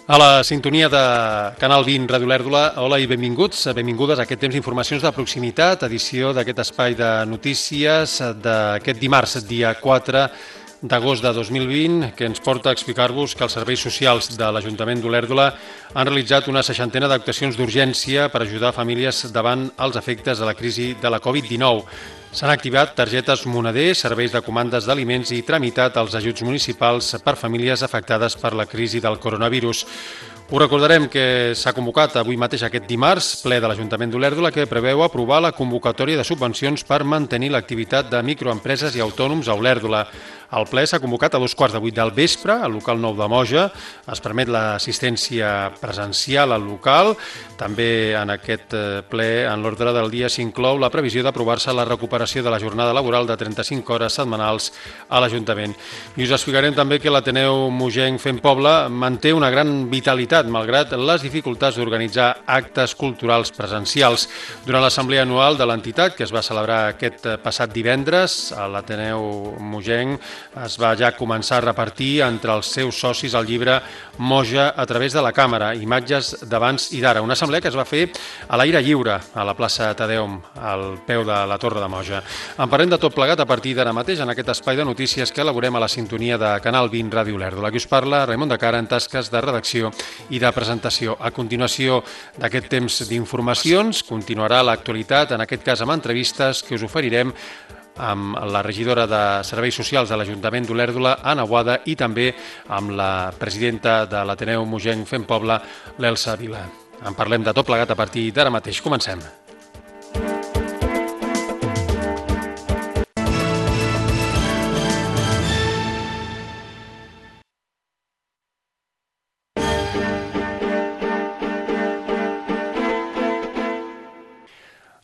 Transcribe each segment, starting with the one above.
A la sintonia de Canal 20 Ràdio Lèrdula, hola i benvinguts, benvingudes a aquest temps d'informacions de proximitat, edició d'aquest espai de notícies d'aquest dimarts, dia 4 d'agost de 2020, que ens porta a explicar-vos que els serveis socials de l'Ajuntament d'Olèrdola han realitzat una 60ena d'actuacions d'urgència per ajudar famílies davant els efectes de la crisi de la Covid-19. S'han activat targetes moneder, serveis de comandes d'aliments i tramitat els ajuts municipals per famílies afectades per la crisi del coronavirus. Us recordarem que s'ha convocat avui mateix aquest dimarts ple de l'Ajuntament d'Olèrdola que preveu aprovar la convocatòria de subvencions per mantenir l'activitat de microempreses i autònoms a Olèrdola. El ple s'ha convocat a 7:15 del vespre al local 9 de Moja. Es permet l'assistència presencial al local. També en aquest ple, en l'ordre del dia, s'inclou la previsió d'aprovar-se la recuperació de la jornada laboral de 35 hores setmanals a l'Ajuntament. I us explicarem també que l'Ateneu Mogenc Fent Poble manté una gran vitalitat malgrat les dificultats d'organitzar actes culturals presencials. Durant l'assemblea anual de l'entitat, que es va celebrar aquest passat divendres, a l'Ateneu Mogenc es va ja començar a repartir entre els seus socis el llibre Moja a través de la càmera, imatges d'abans i d'ara. Una assemblea que es va fer a l'aire lliure, a la plaça Tadeum, al peu de la Torre de Moja. En parlem de tot plegat a partir d'ara mateix en aquest espai de notícies que elaborem a la sintonia de Canal 20 Ràdio Lèrdula. Aquí us parla Raimon de Cara en tasques de redacció i de presentació. A continuació d'aquest temps d'informacions continuarà l'actualitat, en aquest cas amb entrevistes que us oferirem amb la regidora de Serveis Socials de l'Ajuntament d'Olèrdola, Anna Boada, i també amb la presidenta de l'Ateneu Mogenc Fent Poble, l'Elsa Vila. En parlem de tot plegat a partir d'ara mateix. Comencem.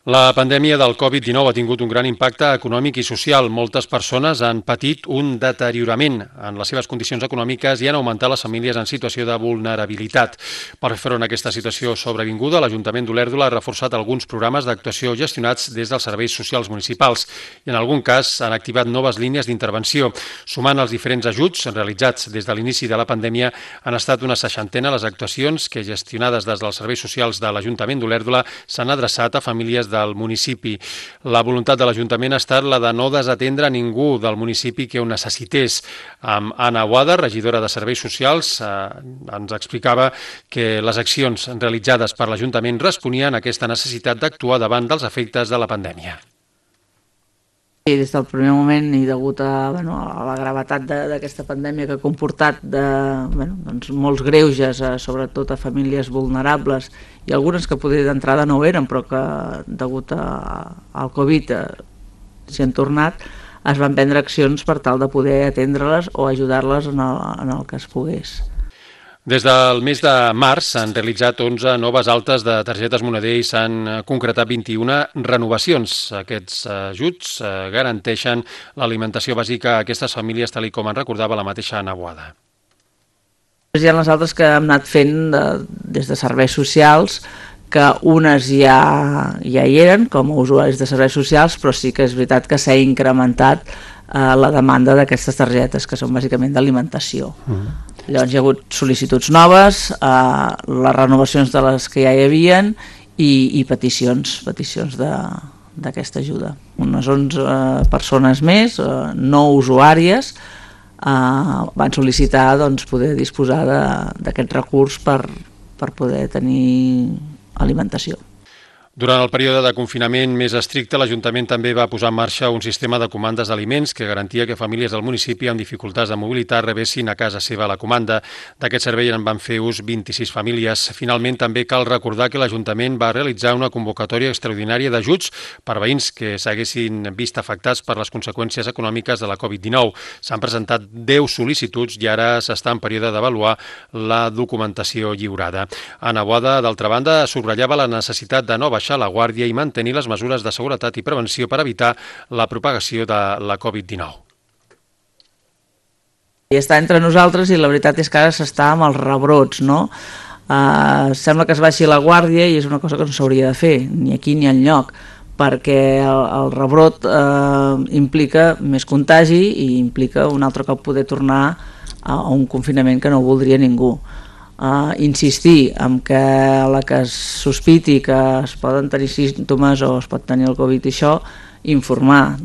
La pandèmia del Covid-19 ha tingut un gran impacte econòmic i social. Moltes persones han patit un deteriorament en les seves condicions econòmiques i han augmentat les famílies en situació de vulnerabilitat. Per fer front a aquesta situació sobrevinguda, l'Ajuntament d'Olèrdola ha reforçat alguns programes d'actuació gestionats des dels serveis socials municipals i en algun cas han activat noves línies d'intervenció. Sumant els diferents ajuts realitzats des de l'inici de la pandèmia, han estat una 60ena les actuacions que, gestionades des dels serveis socials de l'Ajuntament d'Olèrdola, s'han adreçat a famílies del municipi. La voluntat de l'Ajuntament ha estat la de no desatendre ningú del municipi que ho necessités. Amb Anna Boada, regidora de Serveis Socials, ens explicava que les accions realitzades per l'Ajuntament responien a aquesta necessitat d'actuar davant dels efectes de la pandèmia. I des del primer moment i degut a la gravetat d'aquesta pandèmia que ha comportat molts greuges, sobretot a famílies vulnerables i algunes que potser d'entrada no ho eren però que degut al Covid s'hi han tornat, es van prendre accions per tal de poder atendre-les o ajudar-les en el que es pogués. Des del mes de març s'han realitzat 11 noves altes de targetes moneder i s'han concretat 21 renovacions. Aquests ajuts garanteixen l'alimentació bàsica a aquestes famílies, tal com en recordava la mateixa Anna Boada. Hi ha les altres que hem anat fent des de serveis socials, que unes ja hi eren com a usuaris de serveis socials, però sí que és veritat que s'ha incrementat la demanda d'aquestes targetes, que són bàsicament d'alimentació. Llavors hi ha hagut sol·licituds noves, les renovacions de les que ja hi havien i peticions d'aquesta ajuda. Unes 11 persones més, no usuàries, van sol·licitar poder disposar d'aquest recurs per poder tenir alimentació. Durant el període de confinament més estricte, l'Ajuntament també va posar en marxa un sistema de comandes d'aliments que garantia que famílies del municipi amb dificultats de mobilitat rebessin a casa seva la comanda. D'aquest servei en van fer ús 26 famílies. Finalment, també cal recordar que l'Ajuntament va realitzar una convocatòria extraordinària d'ajuts per veïns que s'haguessin vist afectats per les conseqüències econòmiques de la Covid-19. S'han presentat 10 sol·licituds i ara s'està en període d'avaluar la documentació lliurada. Anna Boada, d'altra banda, subratllava la necessitat de no baixar la guàrdia i mantenir les mesures de seguretat i prevenció per evitar la propagació de la Covid-19. I està entre nosaltres i la veritat és que ara s'està amb els rebrots, no? Sembla que es baixi la guàrdia i és una cosa que no s'hauria de fer, ni aquí ni enlloc, perquè el rebrot implica més contagi i implica un altre cop poder tornar a un confinament que no voldria ningú. insistir en que la que es sospiti que es poden tenir símptomes o es pot tenir el Covid i això, informar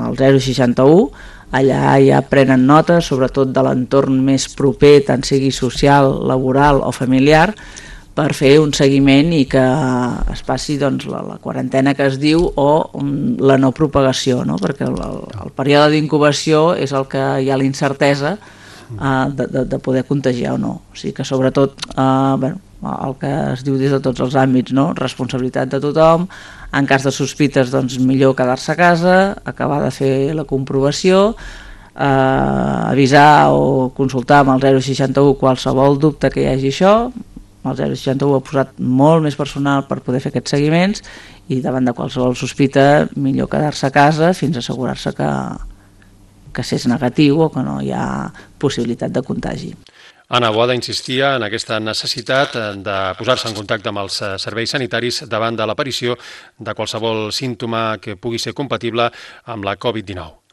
al 061, allà ja prenen nota, sobretot de l'entorn més proper, tant sigui social, laboral o familiar, per fer un seguiment i que es passi doncs, la quarantena que es diu o la no propagació, no? Perquè el període d'incubació és el que hi ha l'incertesa de poder contagiar o no. O sigui que sobretot el que es diu des de tots els àmbits, no? Responsabilitat de tothom, en cas de sospites doncs millor quedar-se a casa, acabar de fer la comprovació, avisar o consultar amb el 061 qualsevol dubte que hi hagi això. El 061 ha posat molt més personal per poder fer aquests seguiments i davant de qualsevol sospita millor quedar-se a casa fins a assegurar-se que s'és negatiu o que no hi ha possibilitat de contagi. Anna Boada insistia en aquesta necessitat de posar-se en contacte amb els serveis sanitaris davant de l'aparició de qualsevol símptoma que pugui ser compatible amb la Covid-19.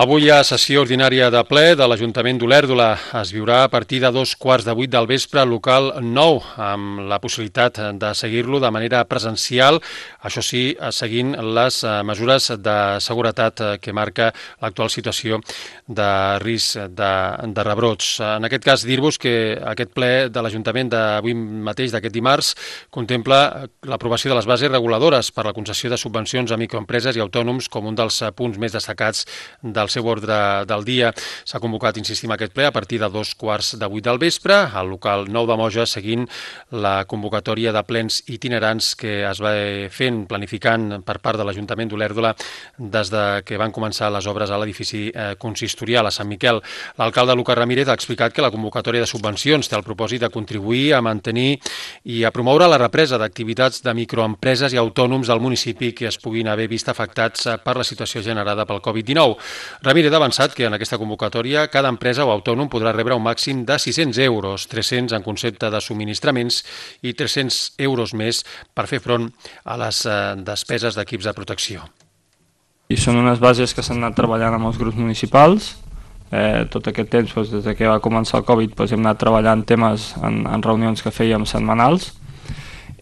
Avui hi ha sessió ordinària de ple de l'Ajuntament d'Olèrdola. Es viurà a partir de 7:15 del vespre al local 9, amb la possibilitat de seguir-lo de manera presencial, això sí, seguint les mesures de seguretat que marca l'actual situació de risc de rebrots. En aquest cas, dir-vos que aquest ple de l'Ajuntament d'avui mateix, d'aquest dimarts, contempla l'aprovació de les bases reguladores per la concessió de subvencions a microempreses i autònoms com un dels punts més destacats del seu ordre del dia. S'ha convocat, insistim, aquest ple a partir de 7:15 del vespre al local 9 de Moja, seguint la convocatòria de plens itinerants que es va fent, planificant per part de l'Ajuntament d'Olèrdola des de que van començar les obres a l'edifici consistorial a Sant Miquel. L'alcalde Lucas Ramírez ha explicat que la convocatòria de subvencions té el propòsit de contribuir a mantenir i a promoure la represa d'activitats de microempreses i autònoms del municipi que es puguin haver vist afectats per la situació generada pel Covid-19. Ramírez ha avançat que en aquesta convocatòria cada empresa o autònom podrà rebre un màxim de 600 euros, 300 en concepte de subministraments i 300 euros més per fer front a les despeses d'equips de protecció. I són unes bases que s'han anat treballant amb els grups municipals. Tot aquest temps, des que va començar el Covid, hem anat treballant temes en reunions que fèiem setmanals.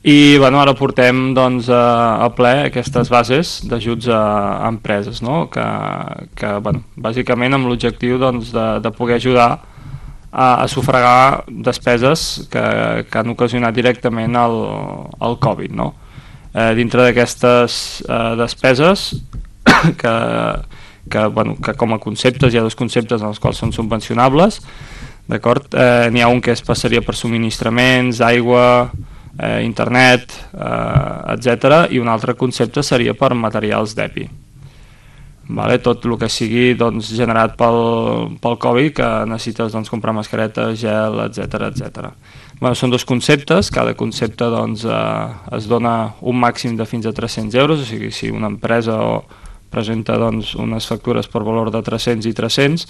I ara portem a ple aquestes bases d'ajuts a empreses, no? que bàsicament amb l'objectiu de poder ajudar a sufragar despeses que han ocasionat directament el Covid. No? Dintre d'aquestes despeses, que com a conceptes hi ha dos conceptes en els quals són subvencionables, d'acord? N'hi ha un que passaria per subministraments, aigua, internet, etc. I un altre concepte seria per materials d'EPI. Tot el que sigui generat pel Covid, que necessites comprar mascaretes, gel, etc. Són dos conceptes, cada concepte es dona un màxim de fins a 300 euros, o sigui, si una empresa presenta unes factures per valor de 300 i 300,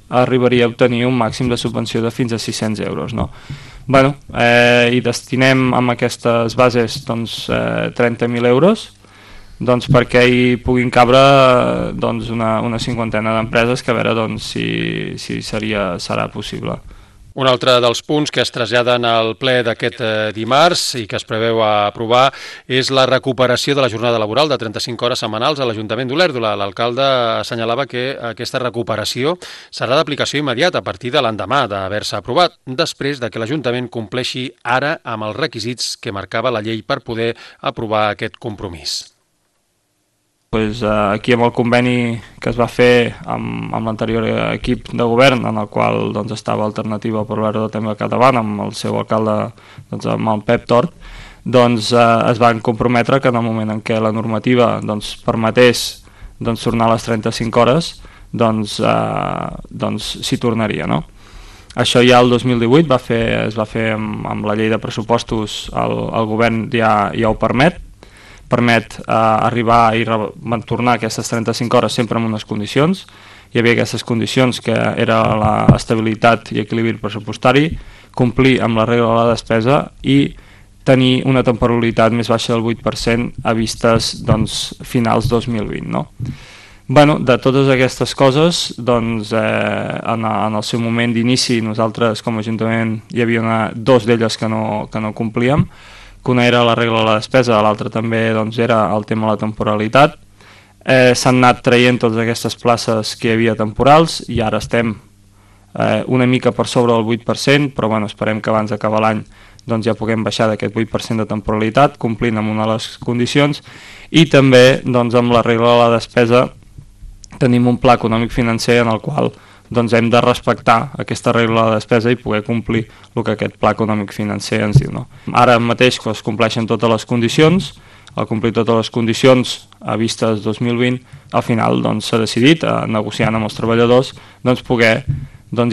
arribaria a obtenir un màxim de subvenció de fins a 600 euros. No? I destinem amb aquestes bases 30.000 euros perquè hi puguin cabre una cinquantena d'empreses, que a veure si serà possible. Un altre dels punts que es traslladen al ple d'aquest dimarts i que es preveu aprovar és la recuperació de la jornada laboral de 35 hores setmanals a l'Ajuntament d'Olèrdola. L'alcalde assenyalava que aquesta recuperació serà d'aplicació immediata a partir de l'endemà d'haver-se aprovat, després de que l'Ajuntament compleixi ara amb els requisits que marcava la llei per poder aprovar aquest compromís. Aquí amb el conveni que es va fer amb l'anterior equip de govern, en el qual estava Alternativa per l'Olèrdola també al capdavant, amb el seu alcalde, amb el Pep Tort, es van comprometre que en el moment en què la normativa permetés tornar a les 35 hores, s'hi tornaria. No? Això ja el 2018 es va fer amb la llei de pressupostos, el govern ja ho permet arribar i tornar aquestes 35 hores sempre en unes condicions. Hi havia aquestes condicions que era l'estabilitat i equilibri pressupostari, complir amb la regla de la despesa i tenir una temporalitat més baixa del 8% a vistes finals 2020, no? Bueno, de totes aquestes coses, doncs, en el seu moment d'inici, nosaltres com a Ajuntament hi havia dos d'elles que no complíem, que una era la regla de la despesa, l'altra també era el tema de la temporalitat. S'han anat traient totes aquestes places que hi havia temporals i ara estem una mica per sobre del 8%, però bueno, esperem que abans d'acabar l'any ja puguem baixar d'aquest 8% de temporalitat, complint amb una de les condicions, i també amb la regla de la despesa tenim un pla econòmic financer en el qual hem de respectar aquesta regla de despesa i poder complir el que aquest pla econòmic financer ens diu, no? Ara mateix que es compleixen totes les condicions, al complir totes les condicions a vistes 2020, al final s'ha decidit, negociant amb els treballadors, poder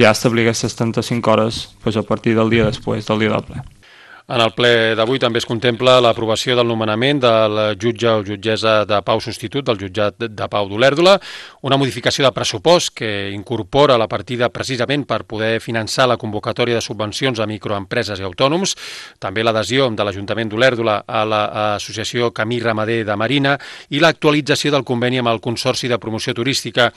ja establir aquestes 35 hores a partir del dia després del dia del ple. En el ple d'avui també es contempla l'aprovació del nomenament del jutge o jutgessa de pau substitut del jutjat de pau d'Olèrdola, una modificació de pressupost que incorpora la partida precisament per poder finançar la convocatòria de subvencions a microempreses i autònoms, també l'adhesió de l'Ajuntament d'Olèrdola a l'Associació Camí Ramader de Marina i l'actualització del conveni amb el Consorci de Promoció Turística.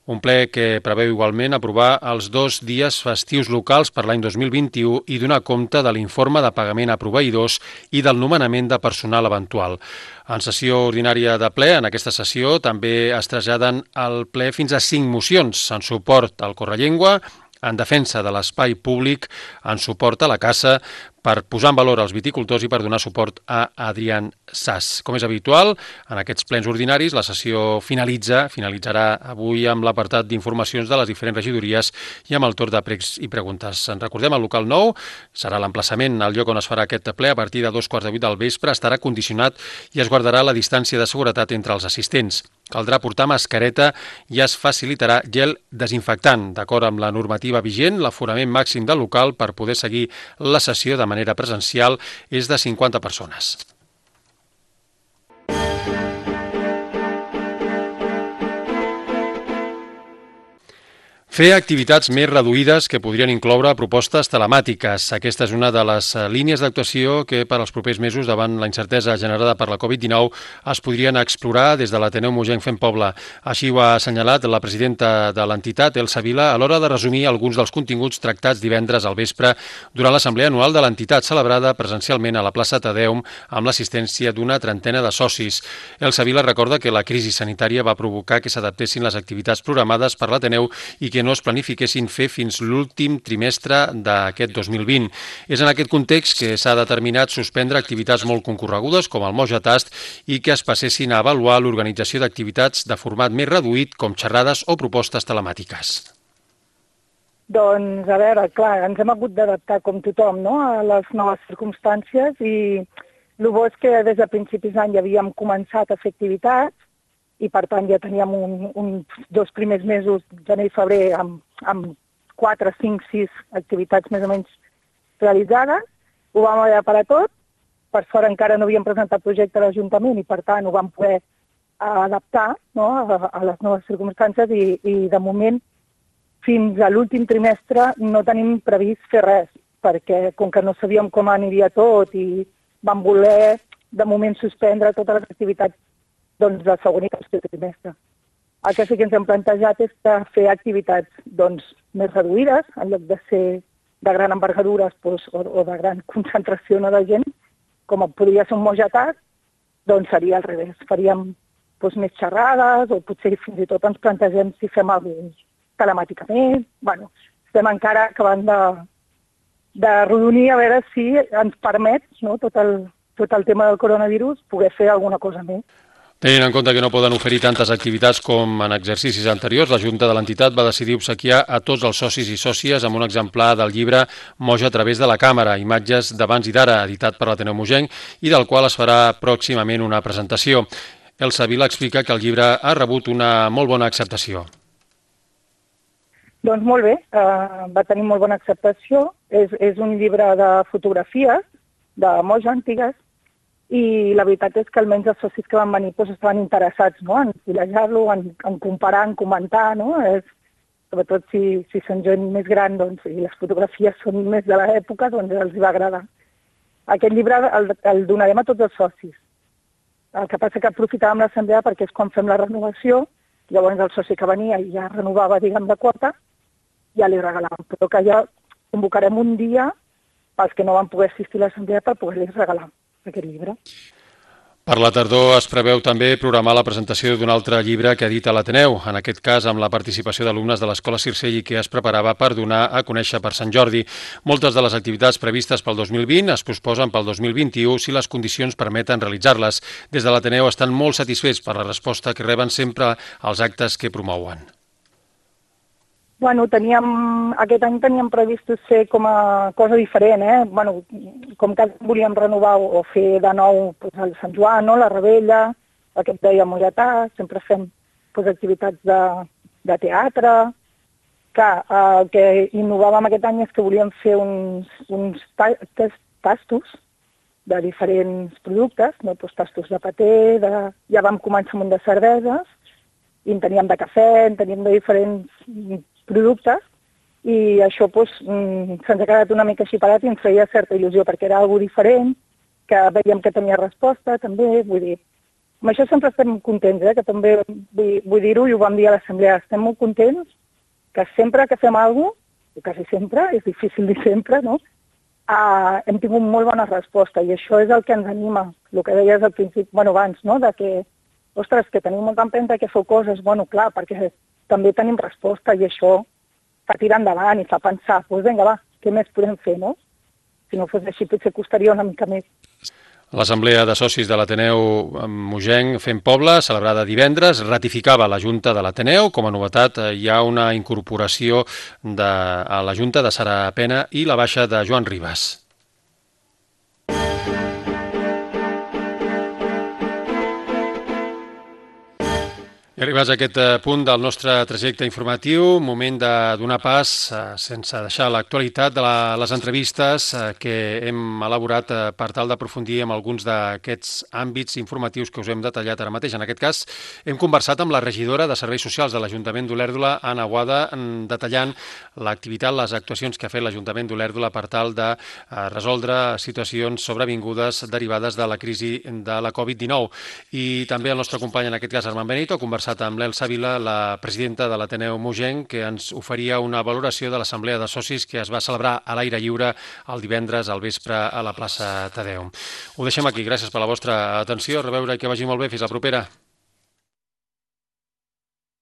Un ple que preveu igualment aprovar els 2 dies festius locals per l'any 2021 i donar compte de l'informe de pagament a proveïdors i del nomenament de personal eventual. En sessió ordinària de ple, en aquesta sessió, també es traslladen al ple fins a 5 mocions en suport al Correllengua, en defensa de l'espai públic, en suport a la caça, per posar en valor els viticultors i per donar suport a Adrián Sas. Com és habitual, en aquests plens ordinaris la sessió finalitzarà avui amb l'apartat d'informacions de les diferents regidories i amb el torn de pregs i preguntes. En recordem, el local nou serà l'emplaçament al lloc on es farà aquest ple a partir de 2:15 del vespre, estarà condicionat i es guardarà la distància de seguretat entre els assistents. Caldrà portar mascareta i es facilitarà gel desinfectant. D'acord amb la normativa vigent, l'aforament màxim del local per poder seguir la sessió de manera presencial és de 50 persones. Fer activitats més reduïdes que podrien incloure propostes telemàtiques. Aquesta és una de les línies d'actuació que per als propers mesos, davant la incertesa generada per la Covid-19, es podrien explorar des de l'Ateneu Mogenc Fent Poble. Així ho ha assenyalat la presidenta de l'entitat, Elsa Vila, a l'hora de resumir alguns dels continguts tractats divendres al vespre durant l'assemblea anual de l'entitat, celebrada presencialment a la plaça Tadeum amb l'assistència d'una trentena de socis. Elsa Vila recorda que la crisi sanitària va provocar que s'adaptessin les activitats programades per l'Ateneu i que no es planifiquessin fer fins l'últim trimestre d'aquest 2020. És en aquest context que s'ha determinat suspendre activitats molt concorregudes com el Moja Tast i que es passessin a avaluar l'organització d'activitats de format més reduït com xerrades o propostes telemàtiques. Doncs, a veure, clar, ens hem hagut d'adaptar com tothom, no?, a les noves circumstàncies i el bo és que des de principis d'any ja havíem començat a fer activitats i per tant ja teníem uns 2 primers mesos, gener i febrer, amb 4, 5, 6 activitats més o menys realitzades. Ho vam haver de parar tot. Per sort encara no havíem presentat projecte a l'Ajuntament i per tant ho vam poder adaptar, no?, a les noves circumstàncies i de moment fins a l'últim trimestre no tenim previst fer res perquè com que no sabíem com aniria tot i vam voler de moment suspendre totes les activitats del segon i tercer trimestre. El que sí que ens hem plantejat és fer activitats més reduïdes, en lloc de ser de gran envergadura o de gran concentració de gent, com podria ser un Moja Tast, doncs seria al revés. Faríem més xerrades o potser fins i tot ens plantegem si fem alguna cosa telemàticament. Bueno, estem encara acabant de rodonir a veure si ens permet, no, tot el tema del coronavirus poder fer alguna cosa més. Tenint en compte que no poden oferir tantes activitats com en exercicis anteriors, la Junta de l'entitat va decidir obsequiar a tots els socis i sòcies amb un exemplar del llibre Moja a través de la càmera, imatges d'abans i d'ara, editat per l'Ateneu Mogenc i del qual es farà pròximament una presentació. Elsa Vila explica que el llibre ha rebut una molt bona acceptació. Doncs molt bé, va tenir molt bona acceptació. És un llibre de fotografies de Moja antigues i la veritat és que almenys els socis que van venir estaven interessats, no?, en fullejar-lo, en comparar, en comentar, no? Sobretot si són gent més gran i les fotografies són més de l'època, doncs els va agradar. Aquest llibre el donarem a tots els socis. El que passa que aprofitàvem l'assemblea perquè és quan fem la renovació, llavors el soci que venia i ja renovava, diguem, de quota, ja li regalàvem. Però que ja convocarem un dia pels que no van poder assistir a l'assemblea per poder-los regalar aquest llibre. Per la tardor es preveu també programar la presentació d'un altre llibre que edita l'Ateneu, en aquest cas amb la participació d'alumnes de l'Escola Circell i que es preparava per donar a conèixer per Sant Jordi. Moltes de les activitats previstes pel 2020 es posposen pel 2021 si les condicions permeten realitzar-les. Des de l'Ateneu estan molt satisfets per la resposta que reben sempre als actes que promouen. Bueno, aquest any teníem previst fer com a cosa diferent, Bueno, com que volíem renovar o fer de nou el Sant Joan, no? La Rebella, el que et deia Molletà, sempre fem activitats de teatre. Clar, el que innovàvem aquest any és que volíem fer uns tastos de diferents productes, no? Tastos de paté, ja vam començar amb un de cerveses, i en teníem de cafè, en teníem de diferents productes, i això se'ns ha quedat una mica així parat i ens feia certa il·lusió, perquè era alguna diferent, que veiem que tenia resposta, també, vull dir, amb això sempre estem contents, que també vull dir-ho, i ho vam dir a l'assemblea, estem molt contents que sempre que fem alguna cosa, quasi sempre, és difícil dir sempre, no?, hem tingut molt bona resposta, i això és el que ens anima, el que deies al principi, abans, no?, de que, ostres, que teniu molta empenta que feu coses, clar, perquè també tenim resposta i això fa tirar endavant i fa pensar, doncs vinga, va, què més podem fer, no? Si no fos així, potser costaria una mica més. L'Assemblea de Socis de l'Ateneu Mogenc Fem Poble, celebrada divendres, ratificava la Junta de l'Ateneu. Com a novetat, hi ha una incorporació a la Junta de Sara Pena i la baixa de Joan Ribas. I arribats a aquest punt del nostre trajecte informatiu, moment de donar pas, sense deixar l'actualitat, de les entrevistes que hem elaborat per tal d'aprofundir en alguns d'aquests àmbits informatius que us hem detallat ara mateix. En aquest cas, hem conversat amb la regidora de Serveis Socials de l'Ajuntament d'Olèrdola, Anna Boada, detallant l'activitat, les actuacions que ha fet l'Ajuntament d'Olèrdola per tal de resoldre situacions sobrevingudes derivades de la crisi de la Covid-19. I també el nostre company, en aquest cas, Armand Benito, ha conversat amb l'Elsa Vila, la presidenta de l'Ateneu Mogenc, que ens oferia una valoració de l'Assemblea de Socis que es va celebrar a l'aire lliure el divendres al vespre a la plaça Tadeu. Ho deixem aquí. Gràcies per la vostra atenció. A reveure i que vagi molt bé. Fins la propera.